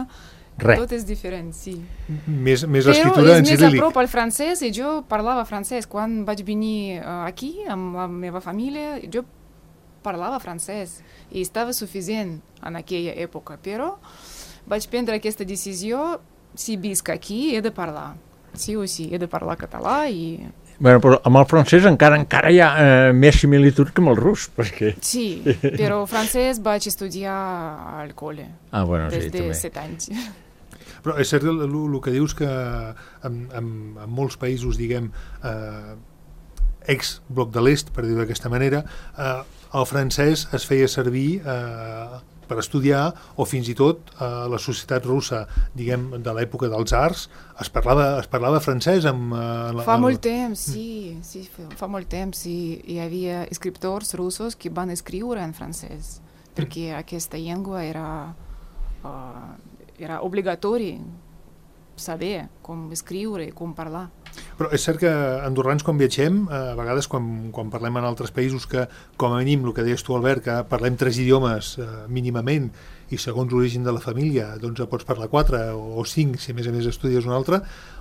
Res. Tot és diferent, sí. Més, més Però l'escriptura és en més a ciríl·lic. prop al francès i jo parlava francès. Quan vaig venir uh, aquí amb la meva família, jo parlava francès i estava suficient en aquella època, però vaig prendre aquesta decisió, si visc aquí he de parlar, sí o sí, he de parlar català i... Bueno, però amb el francès encara encara hi ha eh, més similitud que amb el rus, perquè... Sí, però francès vaig estudiar al col·le Ah, bueno, sí, des de també. set anys. Però és cert el, el que dius que en, en, en molts països, diguem, eh, ex-bloc de l'est, per dir-ho d'aquesta manera, eh, el francès es feia servir eh, per estudiar, o fins i tot a eh, la societat russa, diguem, de l'època dels tsars, es parlava, es parlava francès amb... Eh, la, Fa el- molt temps, sí, sí, fa molt temps i hi havia escriptors russos que van escriure en francès, perquè aquesta llengua era, uh, era obligatori saber com escriure i com parlar. Però és cert que andorrans quan viatgem, eh, a vegades quan, quan parlem en altres països que, com a mínim, el que deies tu, Albert, que parlem tres idiomes eh, mínimament i segons l'origen de la família doncs pots parlar quatre o, o cinc si a més a més estudies un altre,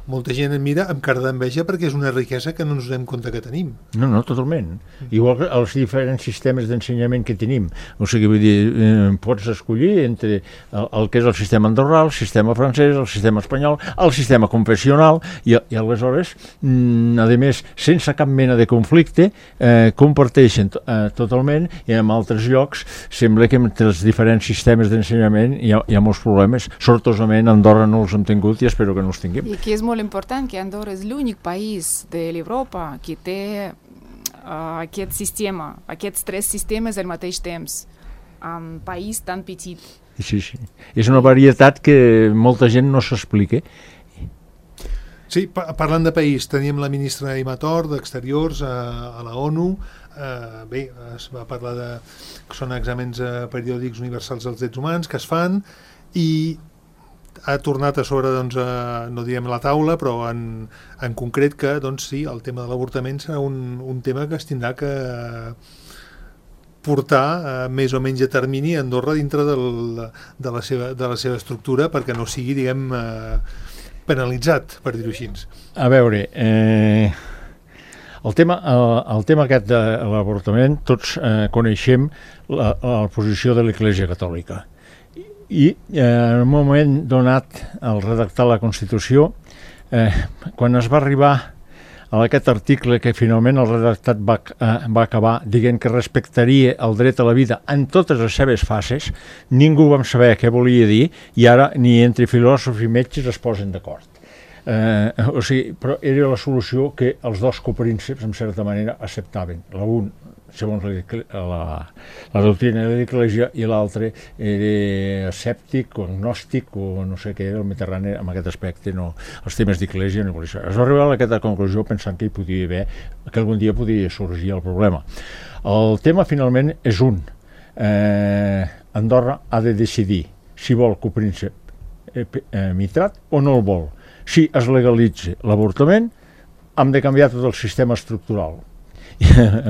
molta gent et mira amb cara d'enveja perquè és una riquesa que no ens donem compte que tenim. No, no, totalment. Igual que els diferents sistemes d'ensenyament que tenim. O sigui, vull dir, eh, pots escollir entre el, el que és el sistema andorrà, el sistema francès, el sistema espanyol, el sistema confessional, i, i aleshores, mm, a més, sense cap mena de conflicte, eh, comparteixen eh, totalment, i en altres llocs sembla que entre els diferents sistemes d'ensenyament hi ha, hi ha molts problemes. Sortosament, Andorra no els hem tingut i espero que no els tinguem. I que és molt important que Andorra és l'únic país de l'Europa que té uh, aquest sistema, aquests tres sistemes al mateix temps, en un país tan petit. Sí, sí. És una varietat que molta gent no s'explica. Sí, pa parlant de país, teníem la ministra Imator d'Exteriors a, a la ONU. Eh, bé, es va parlar de que són exàmens eh, periòdics universals dels drets humans que es fan i ha tornat a sobre, doncs, a, no direm la taula, però en, en concret que, doncs sí, el tema de l'avortament serà un, un tema que es tindrà que portar eh, més o menys a termini a Andorra dintre del, de, la seva, de la seva estructura perquè no sigui, diguem, eh, penalitzat, per dir-ho així. A veure, eh, el, tema, el, el tema aquest de l'avortament, tots eh, coneixem la, la posició de l'Església Catòlica. I eh, en un moment donat, al redactar la Constitució, eh, quan es va arribar a aquest article que finalment el redactat va, eh, va acabar dient que respectaria el dret a la vida en totes les seves fases, ningú vam saber què volia dir i ara ni entre filòsofs i metges es posen d'acord. Eh, o sigui, però era la solució que els dos coprínceps, en certa manera, acceptaven. L'un, segons la, la, la doctrina de l'Església, i l'altre era escèptic o agnòstic o no sé què era, el Mitterrand en aquest aspecte, no, els temes d'Església no. Es va arribar a aquesta conclusió pensant que hi podia haver, que algun dia podia sorgir el problema. El tema finalment és un. Eh, Andorra ha de decidir si vol copríncep eh, eh, mitrat o no el vol. Si es legalitza l'avortament, hem de canviar tot el sistema estructural.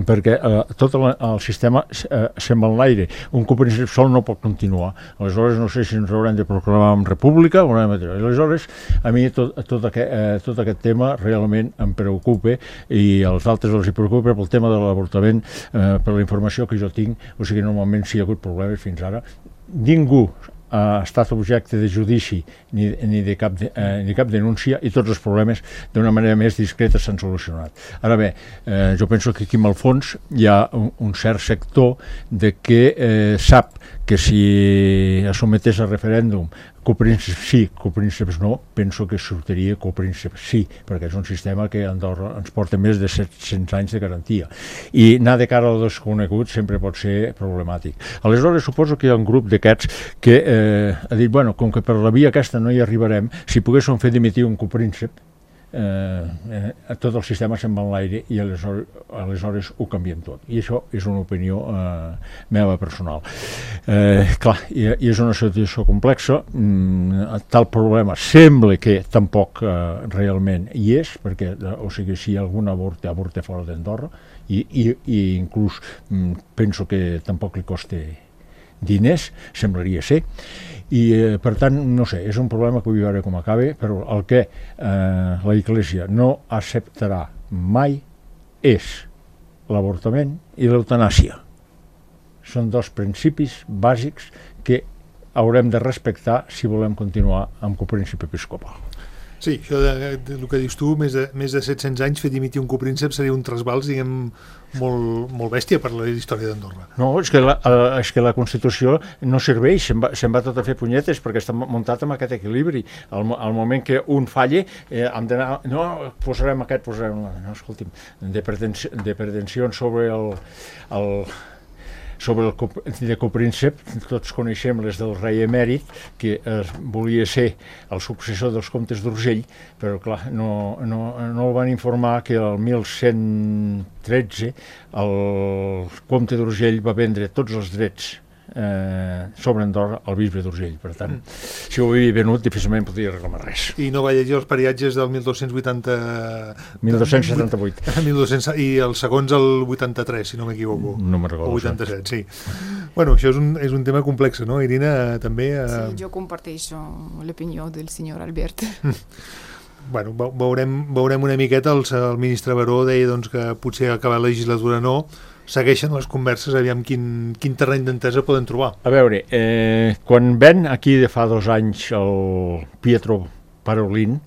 perquè eh, tot el, el sistema eh, se'n va en l'aire. Un copríncep sol no pot continuar. Aleshores no sé si ens haurem de proclamar en república o no. Aleshores a mi tot, tot, aquest, eh, tot aquest tema realment em preocupa i als altres els hi preocupa pel tema de l'avortament, eh, per la informació que jo tinc. O sigui, normalment si hi ha hagut problemes fins ara, ningú ha estat objecte de judici ni, ni, de cap de, eh, ni cap denúncia i tots els problemes d'una manera més discreta s'han solucionat. Ara bé, eh, jo penso que aquí en el fons hi ha un, un cert sector de que eh, sap que si es sometés a referèndum coprínceps sí, coprínceps no, penso que sortiria coprínceps sí, perquè és un sistema que a Andorra ens porta més de set-cents anys de garantia. I anar de cara al desconegut sempre pot ser problemàtic. Aleshores, suposo que hi ha un grup d'aquests que eh, ha dit, bueno, com que per la via aquesta no hi arribarem, si poguéssim fer dimitir un copríncep, Eh, eh, tot el sistema se'n va en l'aire i aleshores, aleshores ho canviem tot. I això és una opinió eh, meva personal. Eh, clar, i, i és una situació complexa. Mm, tal problema sembla que tampoc eh, realment hi és, perquè o sigui, si algun avorta, avorta fora d'Andorra i, i, i inclús mm, penso que tampoc li costa diners, semblaria ser, i eh, per tant, no sé, és un problema que vull veure com acaba, però el que eh, la Església no acceptarà mai és l'avortament i l'eutanàsia. Són dos principis bàsics que haurem de respectar si volem continuar amb copríncep episcopal. Sí, això de, de, del que dius tu, més de, més de set-cents anys fer dimitir un copríncep seria un trasbals, diguem, molt, molt bèstia per la història d'Andorra. No, és que la, és que la Constitució no serveix, se'n va, se'n va tot a fer punyetes perquè està muntat amb aquest equilibri. Al, al moment que un falle, eh, hem d'anar, no, posarem aquest, posarem... No, escolti'm, de, pretensi, de pretensions sobre el... el sobre el cop, de copríncep, tots coneixem les del rei emèrit, que eh, volia ser el successor dels comtes d'Urgell, però clar, no, no, no el van informar que el mil cent tretze el comte d'Urgell va vendre tots els drets eh, sobre Andorra al bisbe d'Urgell. Per tant, mm. si ho havia venut, difícilment podria reclamar res. I no va llegir els periatges del mil dos-cents vuitanta... mil dos-cents setanta-vuit. mil dos-cents I els segons el vuitanta-tres, si no m'equivoco. No me'n recordo. O vuitanta-set, sí. Bueno, això és un, és un tema complex, no, Irina? També... Eh... Sí, jo comparteixo l'opinió del senyor Albert. Bueno, veurem, veurem una miqueta. El, el ministre Baró deia doncs, que potser acabar la legislatura no, segueixen les converses, aviam quin, quin terreny d'entesa poden trobar. A veure, eh, quan ven aquí de fa dos anys el Pietro Parolin,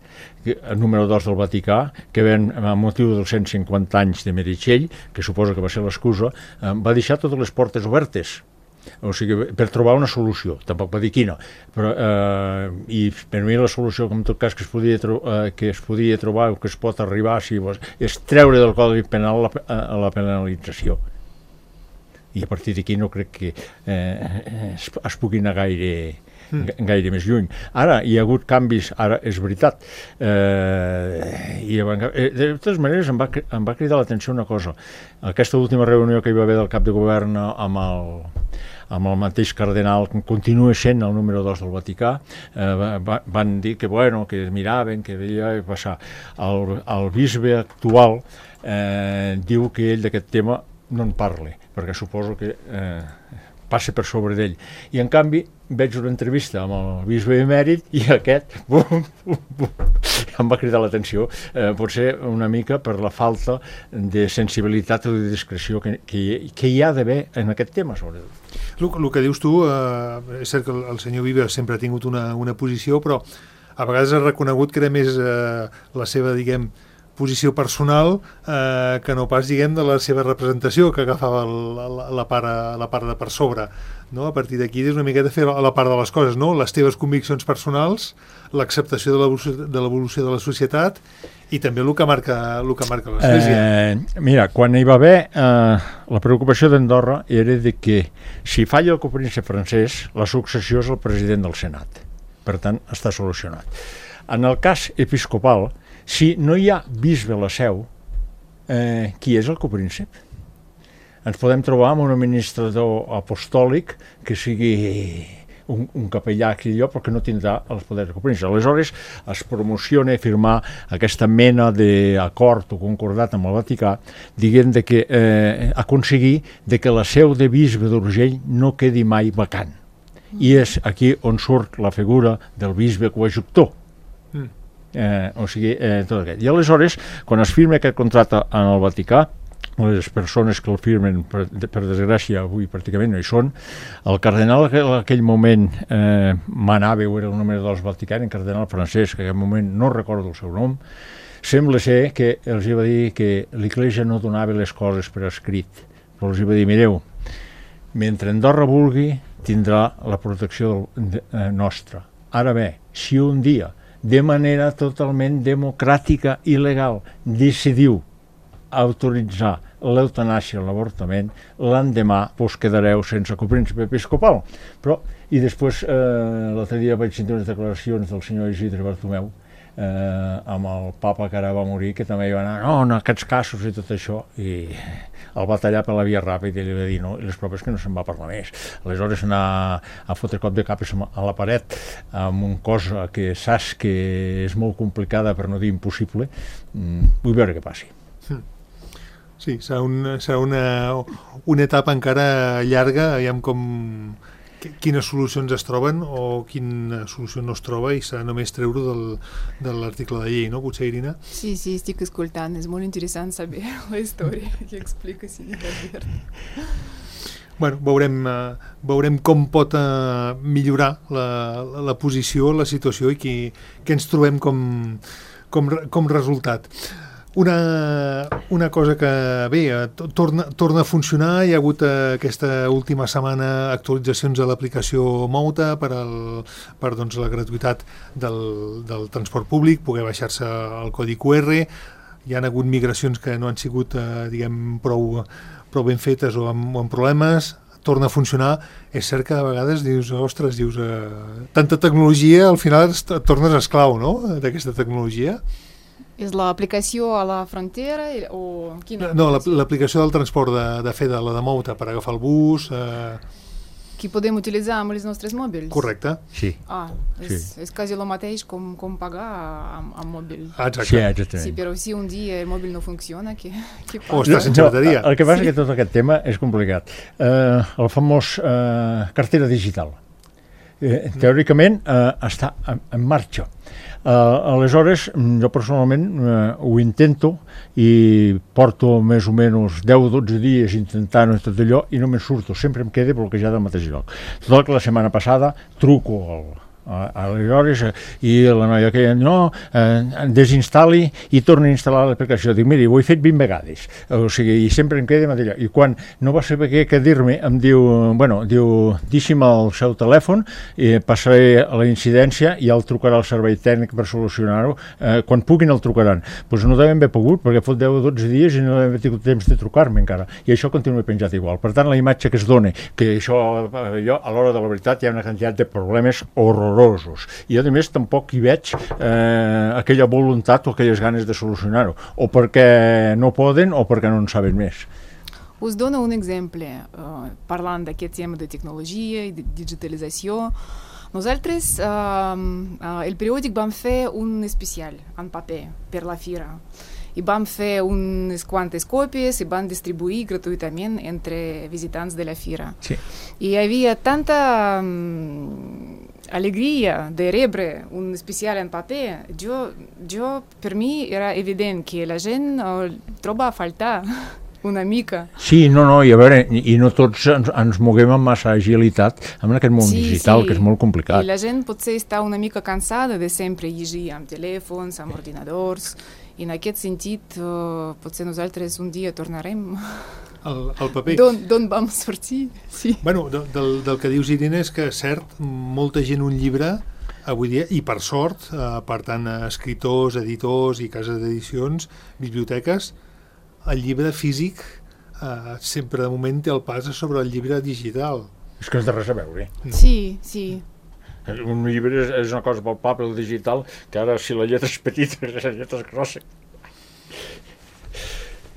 el número dos del Vaticà, que ven a motiu dels cent cinquanta anys de Meritxell, que suposa que va ser l'excusa, eh, va deixar totes les portes obertes. O sigui, per trobar una solució, tampoc va dir quina, però, eh, i per mi la solució, en tot cas, que es podia, tro eh, que es podia trobar o que es pot arribar si vos, és treure del Codi Penal la, eh, la penalització. I a partir d'aquí no crec que eh, es, es pugui anar gaire, mm. gaire més lluny. Ara, hi ha hagut canvis, ara és veritat. Eh, i de totes maneres em va, em va cridar l'atenció una cosa. Aquesta última reunió que hi va haver del cap de govern amb el amb el mateix cardenal, que continua sent el número dos del Vaticà, eh, va, van dir que, bueno, que miraven, que veia passar. El, el bisbe actual eh, diu que ell d'aquest tema no en parla, perquè suposo que eh, passa per sobre d'ell. I en canvi veig una entrevista amb el bisbe emèrit i aquest bum, bum, bum, em va cridar l'atenció, eh, potser una mica per la falta de sensibilitat o de discreció que, que, que hi ha d'haver en aquest tema, sobretot. El, el que dius tu, eh, és cert que el, el senyor Vives sempre ha tingut una, una posició, però a vegades ha reconegut que era més eh, la seva, diguem, posició personal eh, que no pas, diguem, de la seva representació que agafava el, la, la, part, la part de per sobre, no? A partir d'aquí és una miqueta fer la part de les coses, no? Les teves conviccions personals, l'acceptació de l'evolució de l'evolució de la societat i també el que marca, el que marca l'Església. Eh, mira, quan hi va haver eh, la preocupació d'Andorra era de que si falla el copríncep francès, la successió és el president del Senat. Per tant, està solucionat. En el cas episcopal, si no hi ha bisbe a la seu, eh, qui és el copríncep? Ens podem trobar amb un administrador apostòlic que sigui un, un capellà aquí allò, perquè no tindrà els poders del copríncep. Aleshores, es promociona firmar aquesta mena d'acord o concordat amb el Vaticà, dient de que eh, aconseguir de que la seu de bisbe d'Urgell no quedi mai vacant. I és aquí on surt la figura del bisbe coadjuctor. Mm. Eh, o sigui, eh, tot aquest. I aleshores, quan es firma aquest contracte en el Vaticà, les persones que el firmen, per, per desgràcia, avui pràcticament no hi són, el cardenal en aquell moment eh, manava, o era el número dels Vaticans, el cardenal francès, que en aquell moment no recordo el seu nom, sembla ser que els va dir que l'Església no donava les coses per escrit, però els va dir, mireu, mentre Andorra vulgui, tindrà la protecció del, de, eh, nostra. Ara bé, si un dia, de manera totalment democràtica i legal, decidiu autoritzar l'eutanàsia, l'avortament, l'endemà vos quedareu sense copríncep episcopal. Però, i després, eh, l'altre dia vaig sentir unes declaracions del senyor Isidre Bartomeu, eh, amb el papa que ara va morir, que també hi va anar, no, en aquests casos i tot això, i el va tallar per la via ràpida i li va dir, no, i les proves que no se'n va parlar més. Aleshores anar a fotre cop de cap a la paret amb una cosa que saps que és molt complicada, per no dir impossible, mm, vull veure què passi. Mm. Sí, serà, un, serà una, una etapa encara llarga, aviam com, quines solucions es troben o quina solució no es troba, i serà només treure del, de l'article de llei, no? Potser, Irina? Sí, sí, estic escoltant, és molt interessant saber la història que explica Senyor Albert. Bueno, veurem, uh, veurem com pot uh, millorar la, la, la posició, la situació i què, què ens trobem com, com, com resultat. Una, una cosa que, bé, torna, torna a funcionar. Hi ha hagut eh, aquesta última setmana actualitzacions de l'aplicació Mouta per, el, per doncs, la gratuïtat del, del transport públic, poder baixar-se el codi Q R. Hi ha hagut migracions que no han sigut eh, diguem, prou, prou ben fetes o amb, o amb problemes. Torna a funcionar. És cert que a vegades dius, ostres, dius, eh, tanta tecnologia, al final et tornes esclau, no?, d'aquesta tecnologia. És l'aplicació a la frontera o quina? No, l'aplicació del transport de, de fer de la de Mouta per agafar el bus. Eh... Que podem utilitzar amb els nostres mòbils? Correcte. Sí. Ah, és, sí. És quasi el mateix com, com pagar amb, amb mòbil. Ah, exacte. Sí, exactament. Sí, però si un dia el mòbil no funciona, què, què passa? O estàs sense bateria. No, el que passa sí. És que tot aquest tema és complicat. Eh, el famós eh, cartera digital. Eh, teòricament eh, està en, en marxa. Uh, aleshores, jo personalment uh, ho intento i porto més o menys deu o dotze dies intentant tot allò i no me'n surto, sempre em queda bloquejat al mateix lloc. Tot que la setmana passada truco al aleshores, i la noia que no, eh, desinstal·li i torni a instal·lar l'aplicació. Dic, miri, ho he fet vint vegades, o sigui, i sempre em queda allà. I quan no va saber què, què dir-me, em diu, bueno, diu, deixi'm el seu telèfon, i passaré a la incidència i ja el trucarà el servei tècnic per solucionar-ho. Eh, quan puguin el trucaran. Doncs pues no devem haver pogut, perquè fot deu o dotze dies i no devem haver tingut temps de trucar-me encara. I això continua penjat igual. Per tant, la imatge que es dona, que això, allò, a l'hora de la veritat, hi ha una quantitat de problemes horrorosos. I a més tampoc hi veig eh, aquella voluntat o aquelles ganes de solucionar-ho, o perquè no poden o perquè no en saben més. Us dono un exemple, uh, parlant d'aquest tema de tecnologia i de digitalització. Nosaltres, uh, uh, el periòdic vam fer un especial en paper per la fira. I vam fer unes quantes còpies i vam distribuir gratuïtament entre visitants de la fira. Sí. I hi havia tanta um, alegria de rebre un especial en paper. Jo, jo, per mi era evident que la gent uh, troba a faltar una mica. Sí, no, no, i a veure, i no tots ens, ens moguem amb massa agilitat en aquest món sí, digital, sí. Que és molt complicat. I la gent potser està una mica cansada de sempre llegir amb telèfons, amb ordinadors, I en aquest sentit, uh, potser nosaltres un dia tornarem el, el paper. D'on vam sortir, sí. Bueno, del, del que dius, Irene, és que, cert, molta gent un llibre, avui dia, i per sort, eh, per tant, escriptors, editors i cases d'edicions, biblioteques, el llibre físic eh, sempre de moment té el pas sobre el llibre digital. És que és de res a veure. Sí, sí. Un llibre és, és una cosa palpable, el digital, que ara si la lletra és petita, la lletra és grossa.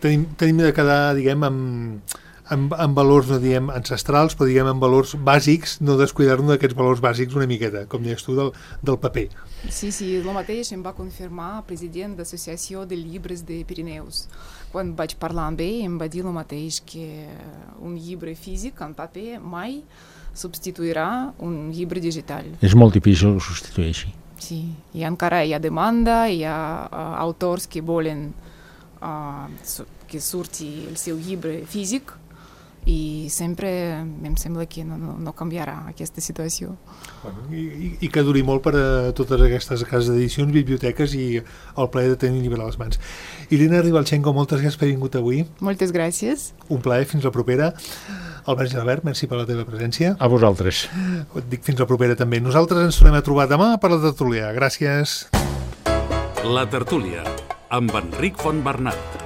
Tenim, tenim de quedar, diguem, amb, amb, amb valors, no diguem ancestrals, però diguem amb valors bàsics, no descuidar-nos d'aquests valors bàsics una miqueta, com deies tu, del, del paper. Sí, sí, el mateix em va confirmar president d'Associació de Llibres de Pirineus. Quan vaig parlar amb ell, em va dir el mateix, que un llibre físic en paper mai substituirà un llibre digital. És molt difícil que ho substitueixi. Sí, i encara hi ha demanda, hi ha uh, autors que volen uh, que surti el seu llibre físic i sempre em sembla que no, no, no canviarà aquesta situació. Bueno, i, i que duri molt per a totes aquestes cases d'edicions, biblioteques i el plaer de tenir un llibre a les mans. Irene Ribalchenko, moltes gràcies per haver vingut avui. Moltes gràcies. Un plaer, fins la propera. Albert Gelabert, merci per la teva presència. A vosaltres. Et dic fins la propera també. Nosaltres ens tornem a trobar demà per la tertúlia. Gràcies. La tertúlia, amb Enric Fontbernat.